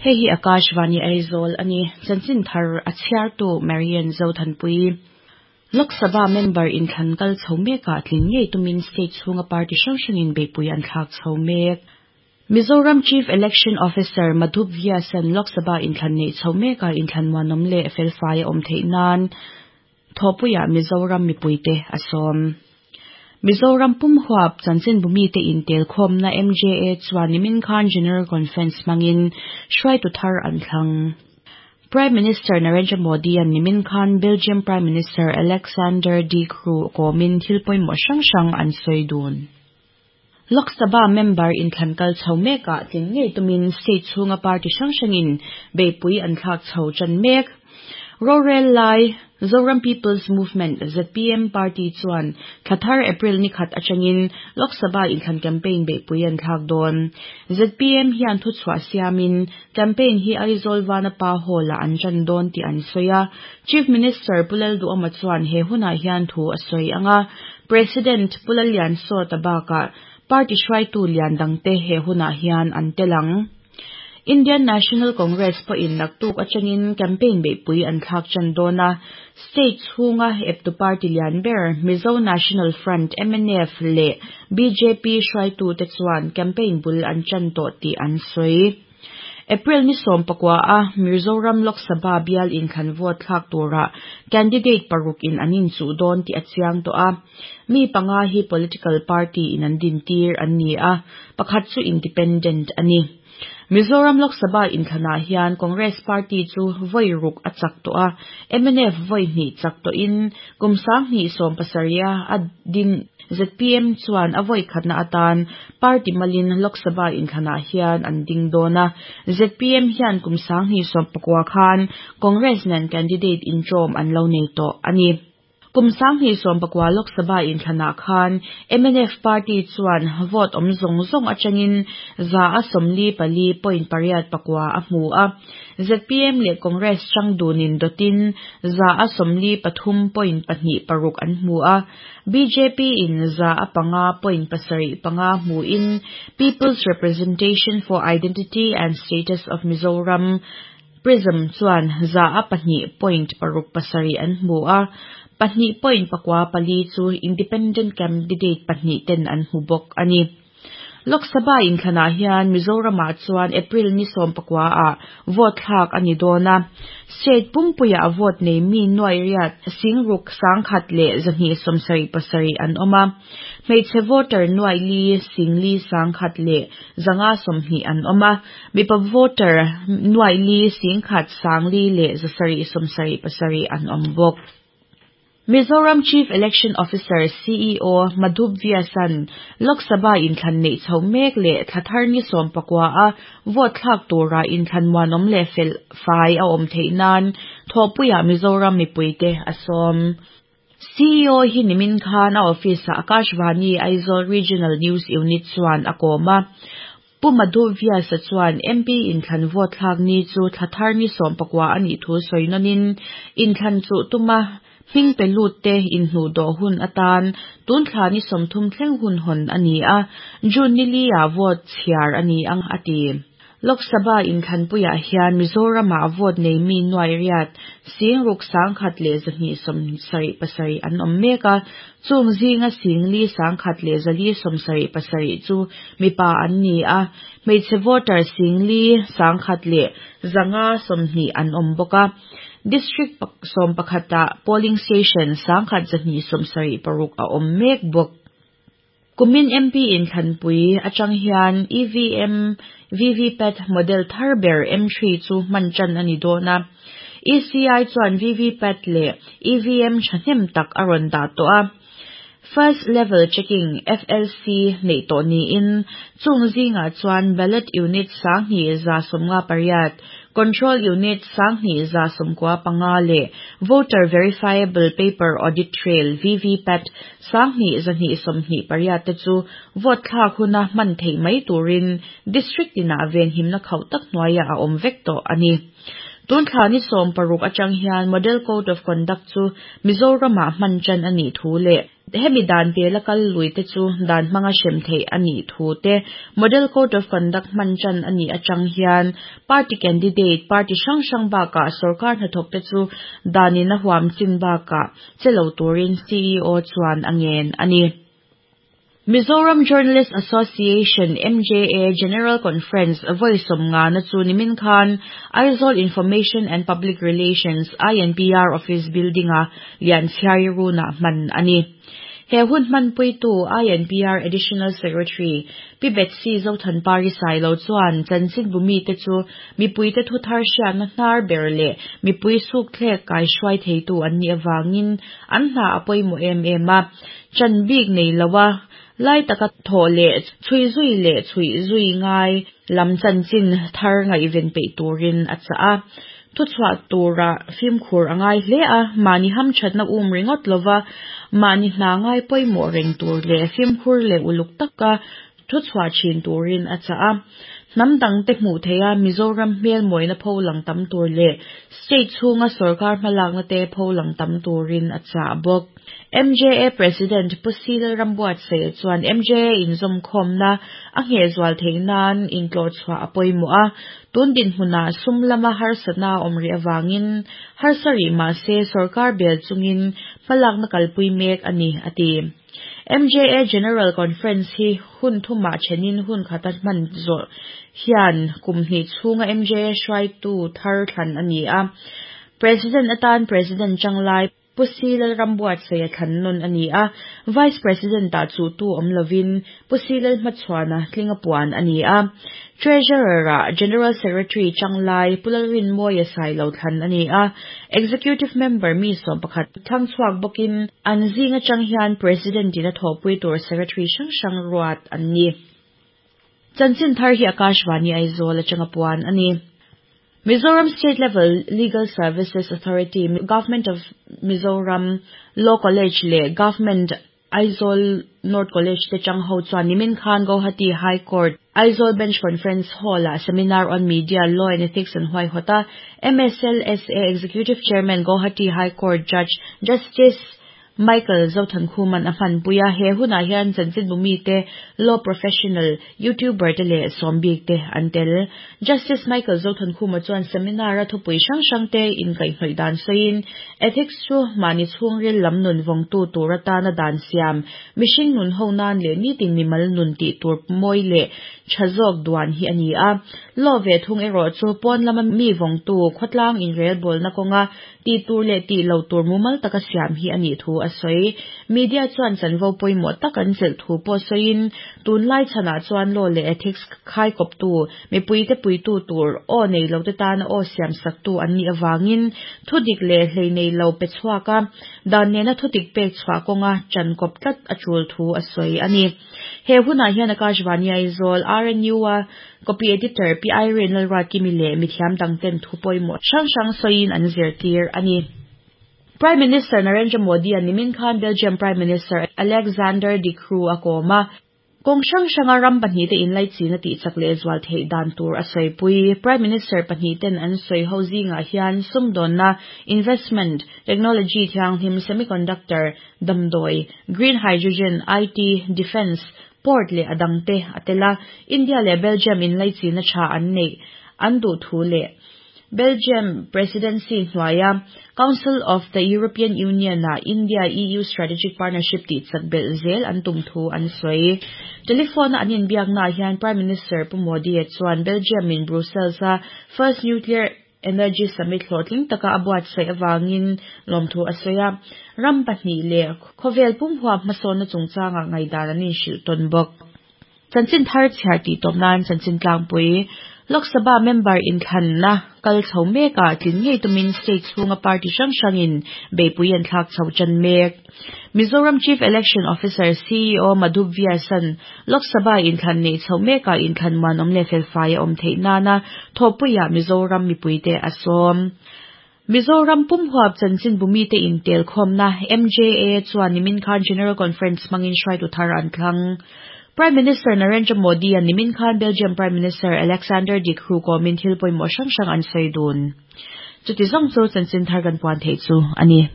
Hei hi Akashvani Aizawl a ni. Chanchin thar a chhiartu Marian Zothanpui. Lok Sabha member inthlan kal chho mekah tling ngei tumin state chhunga party hrang hrangin beihpui an thlak chho mek. Mizoram Chief Election Officer Madhup Vyas-a'n Lok Sabha inthlan neih chho mekah inthlan muanawm leh felfai a awm theih nan thawhpuiah Mizoram mipuite a sawm. Mizoram pum huap chanchinbu mite intelkhawmna MJA chuan nimin khan General Conference hmangin hruaitu thar an thlang. Prime Minister Narendra Modi-a'n nimin khan Belgium Prime Minister Alexander De Croo kawmin thil pawimawh hrang hrang an sawi dun. Lok Sabha member inthlan kal chho mekah tling ngei tumin state chhunga party hrang hrangin beihpui an thlak chho tan mek. Rorel lai Zoram People's Movement, zpm, party chuan thla thar April ni khat atangin Lok Sabha inthlan campaign beihpui an thlak dawn. Zpm hian thuchhuah siamin campaign hi Aizawl Vanapa Hall-ah an tan dawn tih an sawi a. Chief Minister Pu Lalduhawma chuan he hunah hian thu a sawi ang a, President Pu Lalliansawta bakah party hruaitu lian dangte he hunah hian an tel ang. Indian National Congress pawhin naktuk atangin campaign beihpui an thlak tan dawn a, state chhunga eptu party lian ber Mizo National Front, mnf, leh bjp hruaitute chuan campaign bul an tan tawh tih an sawi. April ni 14 a Mizoram Lok Sabha bial inthlan vote thlak tura candidate paruk in an inchuh dawn tih a chiang tawh a, mi panga hi political party in an dintir an ni a, pakhat chu independent a ni. Mizoram Lok Sabha inthlanah hian Congress party chu vawi ruk a chak tawh a, mnf vawi hnih chak tawhin kum 2017 a a din zpm chuan a vawi khatna atan party malin Lok Sabha inthlanah hian an ding dawn a, zpm hian kum 2019 khan Congress nen candidate intawm an lo nei tawh a ni. Kum 2019 Lok Sabha inthlanah khan mnf party chuan vote awm zawng zawng atangin 144.89 a hmu a, zpm leh Congress chang dunin dawtin 143.26 an hmu a, bjp in 105.75 hmuin People's Representation for Identity and Status of Mizoram PRISM chuan 102.67 an hmu a, 2.94 chu independent candidate pahnih ten an hmu bawk a ni. Lok Sabha inthlanah hian Mizoramah chuan April ni 19 ah vote thlak a ni dawn a, state pumpuiah vote nei mi nuai riat sing ruk 1,100 leh 277 an awm a, hmeichhe voter nuai li sing li 1,100 leh 520 an awm a, mipa voter nuai li 1,000 4 leh 777 an awm bawk. Mizoram Chief Election Officer, CEO, Madhup Vyas-a'n Lok Sabha inthlan neih chho mek leh thla thar ni 19 a vote thlak tura inthlan muanawm leh fel fai a awm theih nan thawhpuiah Mizoram mipuite a sawm. CEO hi nimin khan a office-ah Akashvani Aizawl Regional News Unit chuan a kawm a. Pu Madhup Vyas-a chuan MP inthlan vote thlak ni chu thla thar ni 19 a nih thu sawi nawnin inthlan chuh tuma hming pe lut te inhnuh dawh hun atan tun thla ni 30 thleng hun hawn a ni a, June ni li ah vote chhiar a ni ang a ti. Lok Sabha inthlanpuiah hian Mizoramah vote nei mi nuai riat 6,000 1,100 leh 277 an awm mek a, chung zinga 4,000 100 leh 477 chu mipa an ni a, hmeichhe voter 4,000 100 leh 520 an awm bawk a. District 11 ah polling station 1,276 a awm mek bawk. Kumin MP inthlanpui atang hian EVM VVPAT model thar ber M3 chu hman tan a ni dawn a. ECI chuan VVPAT leh EVM thahnem tak a rawn dah tawh a. First Level Checking, FLC, neih tawh niin chung zingah chuan ballot unit 2158, control unit 2195 leh voter verifiable paper audit trail, VVPAT, 1228 te chu vote thlak huna hman theih mai turin district tinah venhimna khauh tak hnuaiah a awm vek tawh a ni. Tun thla ni 16 atang hian Model Code of Conduct chu Mizoramah hman tan a nih thu leh. Hemi dan pela kal lui te chu dan hmanga hrem theih a nih thu te, Model Code of Conduct hman tan a nih atang hian party candidate, party hrang hrang bakah sorkar hnathawk te chu danin a huam chin bakah che lo turin CEO chuan a ngen a ni. Mizoram Journalist Association, MJA, General Conference vawi sawmngana chu nimin khan Aizawl Information and Public Relations, INPR, Office Building-a Lianchhiari Runah hman a ni. He hun hmanpuitu INPR Additional Secretary Pi Betsy Zothanpari Sailo chuan chanchinbu mite chu mipuite thu thar hriatna hnar ber leh mipui sukthlek kaihruai theitu an nih avangin an hna a pawimawh em em a, chan bik nei loa lai taka thawh leh chhui zui leh chhuih zui ngai lam chanchin thar ngaihven peih turin a chah a. Thuchhuah tura fimkhur a ngai hle a, mahni hamthatna um ringawt lova mahni hna ngai pawimawh reng tur leh fimkhur leh uluk taka thuchhuah thin turin a chah a. Hnam dangte hmuh theiha Mizoram hmel mawina pho lang tam tur leh state chhunga sorkar hmalakna te pho lang tam turin a chah bawk. MJA President Pu Cyril Rambuatsaih chuan MJA inzawmkhawmna a nghehzual theih nan intlawhchhuah a pawimawh a, tun dinhmunah sum lama harsatna a awm rih avangin harsa rih mah se sorkar bel chungin hmalakna kalpui mek a ni, a ti. MJA General Conference hi hun thumah thenin hun khata hman zawh hian kum hnih chhunga MJA hruaitu thar thlan a ni a, President atan President Changlai Pu Si Lalrambuatsaih a thlan nawn a ni a, Vice President-ah chuhtu awm lovin Pu Si Lalhmachhuana tlinga puan a ni a, Treasurer-ah General Secretary Changlai Pu Lalrinmawia Sailo thlan a ni a, Executive Member mi 11 thlang chhuak bawkin an zing atang hian President-in a thawhpui tur Secretary hrang hrang ruat an ni. Chanchin thar hi Akashvani Aizawl atanga puan a ni. Mizoram State Level Legal Services Authority, Government of Mizoram Law College leh Government Aizawl North College te chang ho chuan nimin khan Guwahati High Court Aizawl Bench Conference Hall-ah Seminar on Media, Law and Ethics an huaihawt a, MSLSA Executive Chairman Guwahati High Court Judge Justice Michael Zothankhuman a hmanpui a, he hunah hian chanchinbu mite, law professional, YouTuber te leh sawmbik te an tel. Justice Michael Zothankhuma chuan seminar-a thupui hrang hrang te inkaihhnawih dan sawiin, Ethics chu mahni chhungril lam nun vawngtu tur atana dan siam, mihring nun ho nan leh nitin mimal nun tih tur mawi leh tha zawk duan hi a ni a. Law ve thung erawh chu pawn lama mi vawngtu khawtlang inrelbawlna kawnga Tih tur leh tih lo tur mumal taka siam hi a nih thu a sawi. Media chuan chanvo pawimawh tak an chelh thu pawh sawiin, tunlai chhanah chuan law leh ethics khaikawptu, mipuite puitu tur, aw nei lote tana aw siamsaktu an nih avangin thu dik leh hlei nei lo pe chhuak a, dan nena thu dik pek chhuah kawnga chankawp tlat a tul thu a sawi a ni. He hunah hian Akashvani Aizawl, RNU-a Copy Editor Pi Irene Lalruatkimi leh mithiam dangten thu pawimawh hrang hrang sawiin an zirtir a ni. Prime Minister Narendra Modi-a nimin khan Belgium Prime Minister Alexander De Croo a kawm a. Kawng hrang hranga ram pahnihte inlaichina tihchak lehzual theih dan tur a sawipui. Prime Minister pahnihten an sawi ho zingah hian sumdawnna, investment, technology thianghlim, semiconductor, damdawi, green hydrogen, IT, defence, port leh a dangte a tel a, India leh Belgium inlaichina tha an neih an duh thu leh Belgium Presidency hnuaia Council of the European Union-a India-EU Strategic Partnership tihchak belh zel an tum thu an sawi. Telephone-a an inbiaknaah hian Prime Minister Pu Modi-a chuan Belgium-in Brussels-a First Nuclear Energy Summit hlawhtling taka a buatsaih avangin lawmthu a sawi a, ram pahnih leh khawvel pum huap hmasawnna chungchangah ngaihdan an inhrilh tawn bawk. Chanchin thar chhiar tih tawp nan chanchin tlangpui Lok Sabha member inthlanna kal chho mekah tlin ngei tumin state chhunga party hrang hrangin beihpui an thlak chho tan mek. Mizoram Chief Election Officer, CEO, Madhu Vyasan, Lok Sabha inthlan neih chhoh mekah inthlan muanawm leh felfai a awm theih nana thawhpuiah Mizoram mipuite a sawm. Mizoram pumhuap chanchinbu mite intelkhawmna, MJA, chuan nimin khan General Conference hmangin hruaitu thar an thlang. Prime Minister Narendra Modi-a nimin khan Belgium Prime Minister Alexander De Croo kawmin thil pawimawh hrang hrang an sawi dun. Chuti zawng chu chanchin thar kan puan theih chu a ni.